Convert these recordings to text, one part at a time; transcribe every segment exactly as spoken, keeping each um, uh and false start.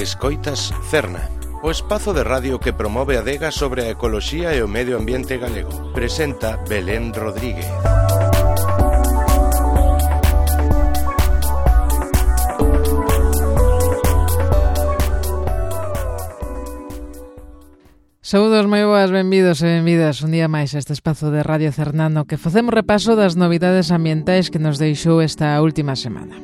Escoitas Cerna, o espazo de radio que promove a adega sobre a ecoloxía e o medio ambiente galego. Presenta Belén Rodríguez. Saúdos moi boas, benvidos e benvidas un día máis a este espazo de Radio Cernano que facemos repaso das novidades ambientais que nos deixou esta última semana.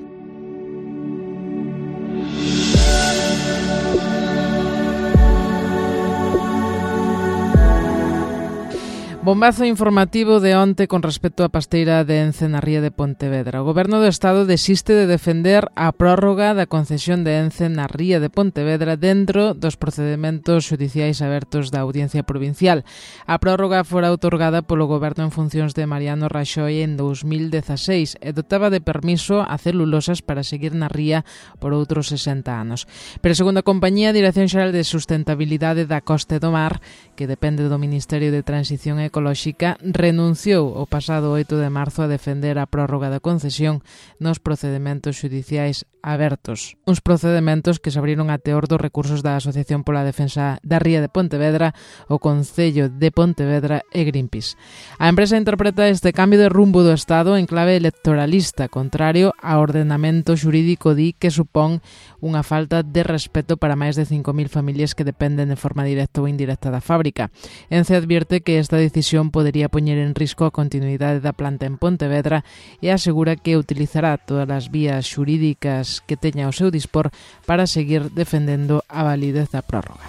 Bombazo informativo de onte con respecto á pasteira de Ence na ría de Pontevedra. O Goberno do Estado desiste de defender a prórroga da concesión de Ence na ría de Pontevedra dentro dos procedementos xudiciais abertos da Audiencia Provincial. A prórroga fora outorgada polo Goberno en funcións de Mariano Raxoi en dous mil dezaseis e dotaba de permiso a celulosas para seguir na ría por outros sesenta anos. Pero segundo a compañía, a Dirección Xeral de Sustentabilidade da Costa e do Mar, que depende do Ministerio de Transición Ecolóxica, Ecolóxica, renunciou o pasado oito de marzo a defender a prórroga da concesión nos procedementos xudiciais abertos. Uns procedementos que se abriron a teor dos recursos da Asociación pola Defensa da Ría de Pontevedra, o Concello de Pontevedra e Greenpeace. A empresa interpreta este cambio de rumbo do Estado en clave electoralista, contrario ao ordenamento xurídico di que supón unha falta de respeto para máis de cinco mil familias que dependen de forma directa ou indirecta da fábrica. Ence advierte que esta decisión podería poñer en risco a continuidade da planta en Pontevedra e asegura que utilizará todas as vías xurídicas que teña ao seu dispor para seguir defendendo a validez da prórroga.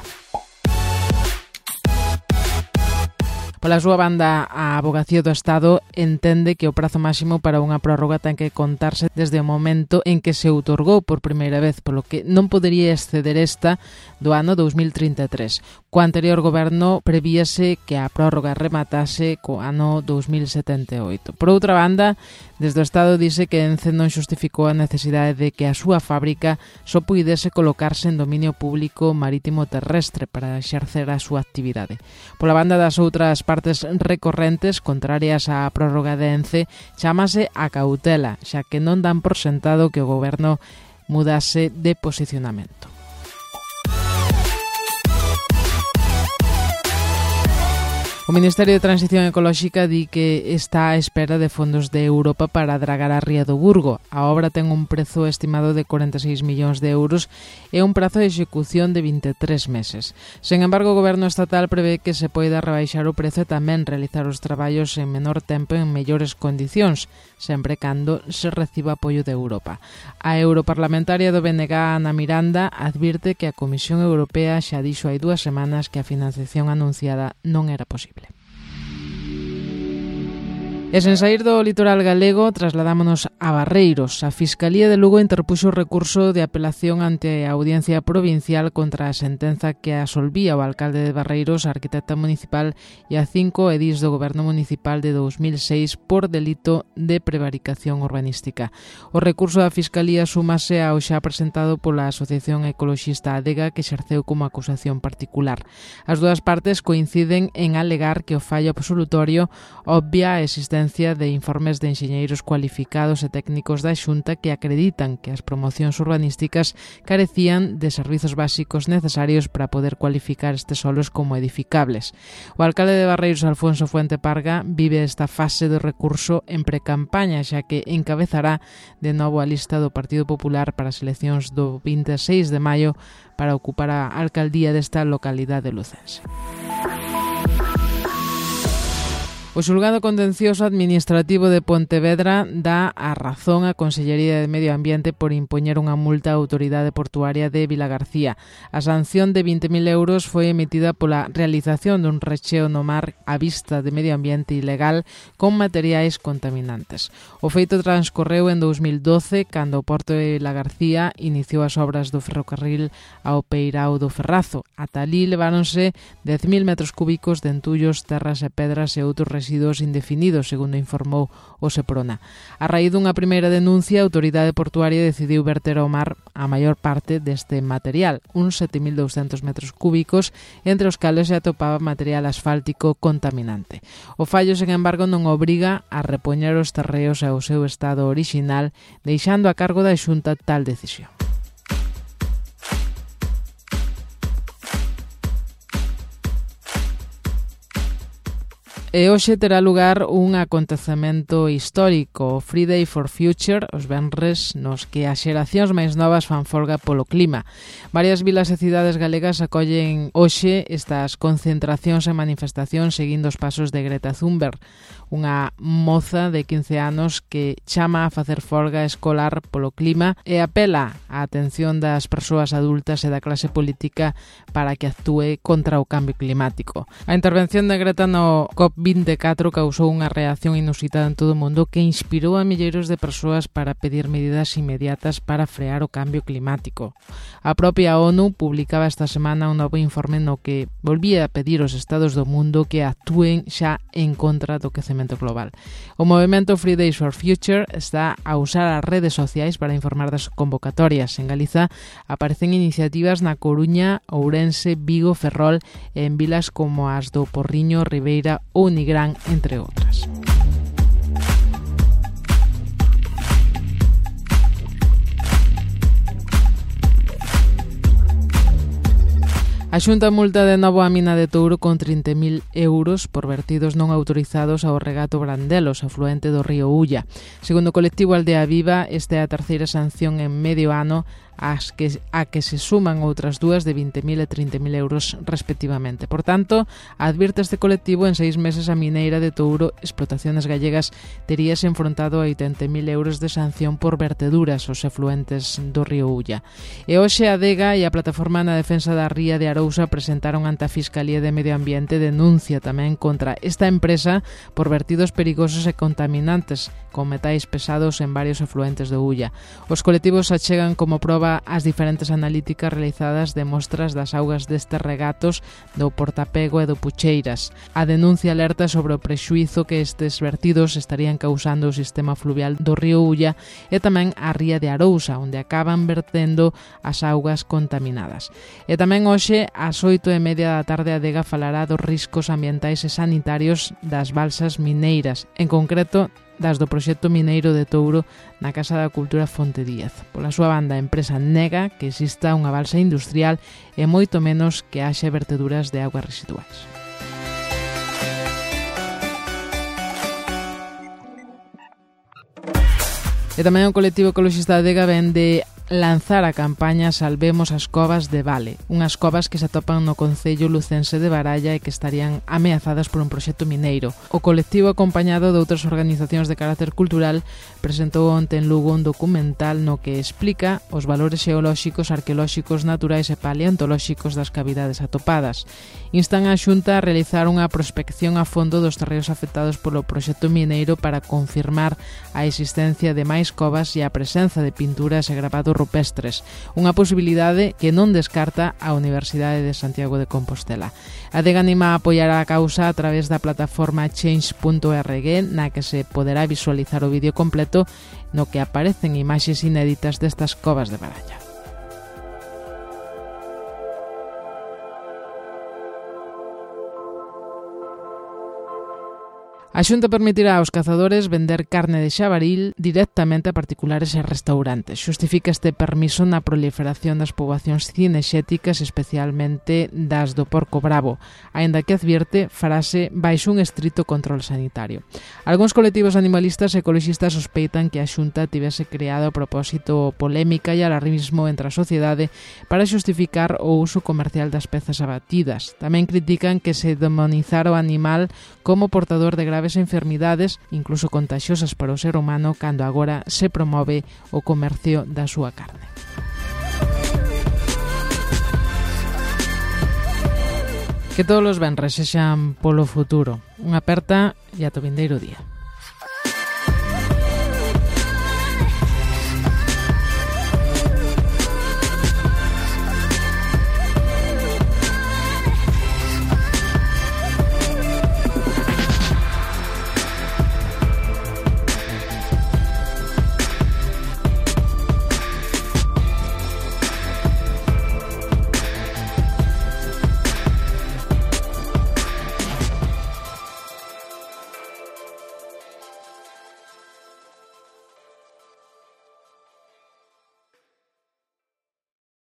Pola súa banda, a Avogacía do Estado entende que o prazo máximo para unha prórroga ten que contarse desde o momento en que se outorgou por primeira vez, polo que non podería exceder esta do ano dous mil trinta e tres. Co anterior goberno prevíase que a prórroga rematase co ano dous mil setenta e oito. Por outra banda, desde o Estado dice que Ence non xustificou a necesidade de que a súa fábrica só puidese colocarse en dominio público marítimo terrestre para exercer a súa actividade. Pola banda das outras partes recorrentes contrarias á prórroga de Ence, chámase a cautela, xa que non dan por sentado que o goberno mudase de posicionamento. O Ministerio de Transición Ecolóxica di que está á espera de fondos de Europa para dragar a ría do Burgo. A obra ten un prezo estimado de corenta e seis millóns de euros e un prazo de execución de vinte e tres meses. Sen embargo, o Goberno estatal prevé que se poida rebaixar o prezo e tamén realizar os traballos en menor tempo e en mellores condicións, sempre cando se reciba apoio de Europa. A europarlamentaria do B N G, Ana Miranda, advirte que a Comisión Europea xa dixo hai dúas semanas que a financiación anunciada non era posible. E sen saír do litoral galego, trasladámonos a Barreiros. A Fiscalía de Lugo interpuxo recurso de apelación ante a Audiencia Provincial contra a sentenza que absolvía o alcalde de Barreiros, a arquitecta municipal e a cinco edís do Goberno Municipal de dous mil seis por delito de prevaricación urbanística. O recurso da Fiscalía súmase ao xa presentado pola Asociación Ecoloxista Adega, que exerceu como acusación particular. As dúas partes coinciden en alegar que o fallo absolutorio obvia a existencia de informes de enxeñeiros cualificados e técnicos da Xunta que acreditan que as promocións urbanísticas carecían de servizos básicos necesarios para poder cualificar estes solos como edificables. O alcalde de Barreiros, Alfonso Fuente Parga, vive esta fase do recurso en precampaña, xa que encabezará de novo a lista do Partido Popular para as eleccións do vinte e seis de maio para ocupar a alcaldía desta localidade lucense. O Xulgado Contencioso Administrativo de Pontevedra dá a razón á Consellería de Medio Ambiente por impoñer unha multa á Autoridade Portuaria de Vilagarcía. A sanción de vinte mil euros foi emitida pola realización dun recheo no mar á vista de medio ambiente ilegal con materiais contaminantes. O feito transcorreu en dous mil doce, cando o Porto de Vilagarcía iniciou as obras do ferrocarril ao Peirao do Ferrazo. Ata alí leváronse dez mil metros cúbicos de entullos, terras e pedras e outros residuos indefinidos, segundo informou o Seprona. A raíz dunha primeira denuncia, a Autoridade Portuaria decidiu verter ao mar a maior parte deste material, uns sete mil douscentos metros cúbicos, entre os cales se atopaba material asfáltico contaminante. O fallo, sen embargo, non obriga a repoñer os terreos ao seu estado orixinal, deixando a cargo da Xunta tal decisión. E hoxe terá lugar un acontecemento histórico, o Friday for Future, os venres nos que as xeracións máis novas fan folga polo clima. Varias vilas e cidades galegas acollen hoxe estas concentracións e manifestacións seguindo os pasos de Greta Thunberg, unha moza de quince anos que chama a facer folga escolar polo clima e apela á atención das persoas adultas e da clase política para que actúe contra o cambio climático. A intervención de Greta no COP vinte e catro causou unha reacción inusitada en todo o mundo que inspirou a milleiros de persoas para pedir medidas inmediatas para frear o cambio climático. A propia ONU publicaba esta semana un novo informe no que volvía a pedir aos estados do mundo que actúen xa en contra do quecemento global. O movemento Fridays for Future está a usar as redes sociais para informar das convocatorias. En Galiza aparecen iniciativas na Coruña, Ourense, Vigo, Ferrol e en vilas como as do Porriño, Ribeira ou Nigrán, entre outras. A Xunta multa de novo a mina de Touro con trinta mil euros por vertidos non autorizados ao regato Brandelos, afluente do río Ulla. Segundo o colectivo Aldea Viva, esta é a terceira sanción en medio ano as que, a que se suman outras dúas de vinte mil e trinta mil euros respectivamente. Por tanto, advirte este colectivo, en seis meses a mineira de Touro Explotaciones Gallegas teríase enfrontado a oitenta mil euros de sanción por verteduras aos efluentes do río Ulla. E hoxe a Adega e a Plataforma na Defensa da Ría de Arousa presentaron ante a Fiscalía de Medio Ambiente denuncia tamén contra esta empresa por vertidos perigosos e contaminantes con metais pesados en varios efluentes do Ulla. Os colectivos achegan como proba as diferentes analíticas realizadas de mostras das augas destes regatos do Portapego e do Pucheiras. A denuncia alerta sobre o prexuízo que estes vertidos estarían causando o sistema fluvial do río Ulla e tamén a ría de Arousa, onde acaban vertendo as augas contaminadas. E tamén hoxe, ás oito e media da tarde, a Adega falará dos riscos ambientais e sanitarios das balsas mineiras, en concreto das do proxecto mineiro de Touro na Casa da Cultura Fonte Díaz. Pola súa banda, a empresa nega que exista unha balsa industrial e moito menos que haxe verteduras de augas residuais. E tamén o colectivo ecologista Adega vende lanzar a campaña Salvemos as covas de Vale, unhas covas que se atopan no concello lucense de Baralla e que estarían ameazadas por un proxecto mineiro. O colectivo, acompañado de outras organizacións de carácter cultural, presentou onte en Lugo un documental no que explica os valores xeolóxicos, arqueolóxicos, naturais e paleontolóxicos das cavidades atopadas. Instan a Xunta a realizar unha prospección a fondo dos terreos afectados polo proxecto mineiro para confirmar a existencia de máis covas e a presenza de pinturas e grabados rupestres, unha posibilidade que non descarta a Universidade de Santiago de Compostela. A Adega anima a apoiar a causa a través da plataforma change punto org, na que se poderá visualizar o vídeo completo no que aparecen imaxes inéditas destas covas de Baralla. A Xunta permitirá aos cazadores vender carne de xabaril directamente a particulares e restaurantes. Xustifica este permiso na proliferación das poboacións cinexéticas, especialmente das do porco bravo, aínda que advierte farase baixo un estrito control sanitario. Algúns colectivos animalistas e ecoloxistas sospeitan que a Xunta tivese creado a propósito polémica e alarmismo entre a sociedade para xustificar o uso comercial das pezas abatidas. Tamén critican que se demonizara o animal como portador de graves enfermidades, incluso contaxiosas para o ser humano, cando agora se promove o comercio da súa carne. Que todos os venres sexan polo futuro. Unha aperta e ata o vindeiro día.